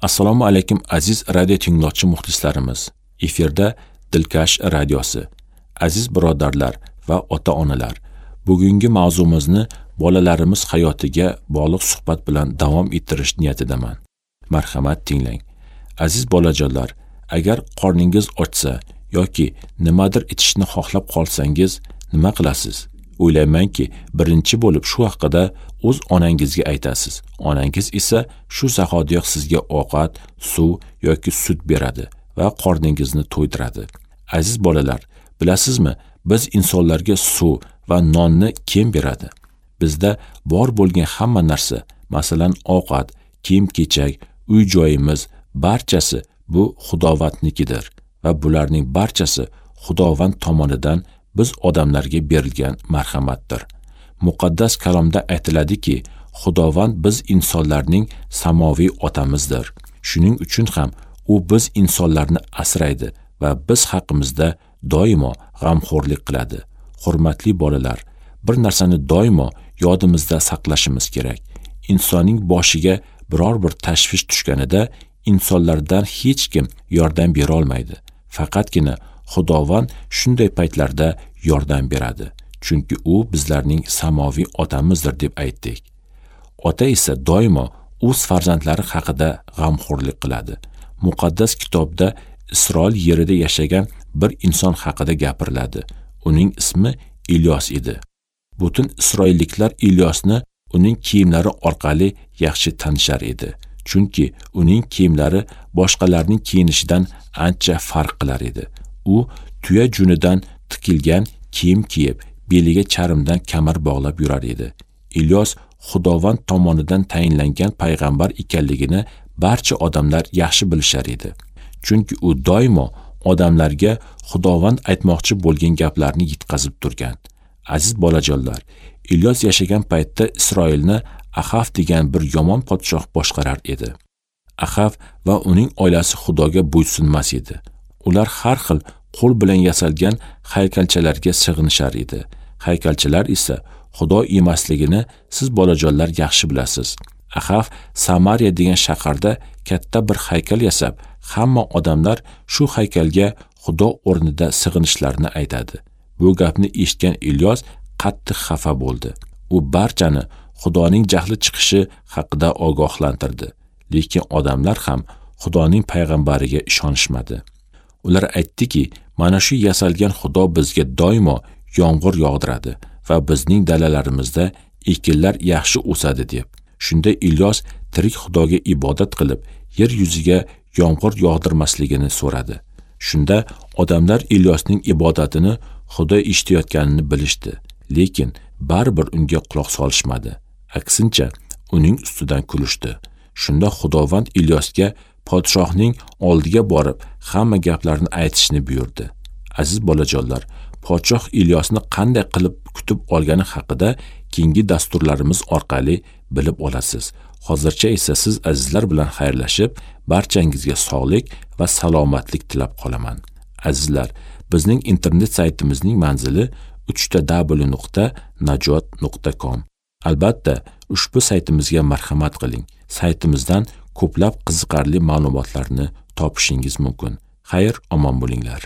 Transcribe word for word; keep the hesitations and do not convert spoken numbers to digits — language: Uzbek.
Assalomu alaykum aziz radio tinglovchi muxlislarimiz. Efirda Dilkash radiosi. Aziz birodarlar va ota-onalar, bugungi mavzumizni bolalarimiz hayotiga bog'liq suhbat bilan davom ettirish niyatidaman. Marhamat tinglang. Aziz bolajonlar, agar qorningiz ochsa yoki nimadir ichishni xohlab qolsangiz, nima qilasiz? O'ylaymanki, birinchi bo'lib shu haqida o'z onangizga aytasiz. Onangiz esa shu zahotiyoq sizga ovqat, suv yoki sut beradi va qorningizni to'ydiradi. Aziz bolalar, bilasizmi, biz insonlarga suv va nonni kim beradi? Bizda bor bo'lgan hamma narsa, masalan, ovqat, kiyim-kechak, uy-joyimiz, barchasi bu Xudovandnikidir va bularning barchasi Xudovand tomonidan biz odamlarga berilgan marhamatdir. Muqaddas kalomda aytiladiki, Xudovand biz insonlarning samoviy otamizdir. Shuning uchun ham u biz insonlarni asraydi va biz haqimizda doimo g'amxo'rlik qiladi. Hurmatli bolalar, bir narsani doimo yodimizda saqlashimiz kerak. Insonning boshiga biror bir tashvish tushganida insonlardan hech kim yordam bera olmaydi. Faqatgina Xudovand shunday paytlarda yordam beradi. Chunki u bizlarning samoviy otamizdir deb aytdik. Ota esa doimo o'z farzandlari haqida g'amxo'rlik qiladi. Muqaddas kitobda Isroil yerida yashagan bir inson haqida gapiriladi. Uning ismi Ilyos edi. Butun isroilliklar Ilyosni uning kiyimlari orqali yaxshi tanishar edi. Chunki uning kiyimlari boshqalarning kiyinishidan ancha farq qilar edi. U tuya junidan tikilgan kiyim kiyib, beliga charmdan kamar bog'lab yurar edi. Ilyos Xudovand tomonidan tayinlangan payg'ambar ekanligini barcha odamlar yaxshi bilishar edi. Chunki u doimo odamlarga Xudovand aytmoqchi bo'lgan gaplarni yetkazib turgan. Aziz bolajonlar, Ilyos yashagan paytda Isroilni Axaf degan bir yomon podshoh boshqarar edi. Axaf va uning oilasi Xudoga bo'ysunmas edi. Ular har xil qo'l bilan yasalgan haykalchalarga sig'inishar edi. Haykalchalar esa Xudo emasligini siz bolajonlar yaxshi bilasiz. Axaf Samariya degan shaharda katta bir haykal yasab, hamma odamlar shu haykalga Xudo o'rnida sig'inishlarini aytadi. Bu gapni eshitgan Ilyos qattiq xafa bo'ldi. U barchani Xudoning jahli chiqishi haqida ogohlantirdi. Lekin odamlar ham Xudoning payg'ambariga ishonishmadi. Ular aytdiki, mana shu yasalgan Xudo bizga doimo yomg'ir yog'diradi va bizning dalalarimizda ekinlar yaxshi o'sadi deb. Shunda Ilyos tirik Xudoga ibodat qilib, yer yuziga yomg'ir yog'dirmasligini so'radi. Shunda odamlar Ilyosning ibodatini Xudo eshitayotganini bilishdi, lekin baribir unga quloq solishmadi. Aksincha, uning ustidan kulishdi. Shunda Xudovand Ilyosga podshohning oldiga borib, hamma gaplarni aytishni buyurdi. Aziz bolajonlar, podshoh Ilyosni qanday qilib kutib olgani haqida keyingi dasturlarimiz orqali bilib olasiz. Hozircha esa siz azizlar bilan xayrlashib, barchangizga sog'lik va salomatlik tilab qolaman. Azizlar, bizning internet saytimizning manzili uch ta dabl nuqta najot nuqta com. Albatta, ushbu saytimizga marhamat qiling. Saytimizdan ko'plab qiziqarli ma'lumotlarni topishingiz mumkin. Xayr, omon bo'linglar.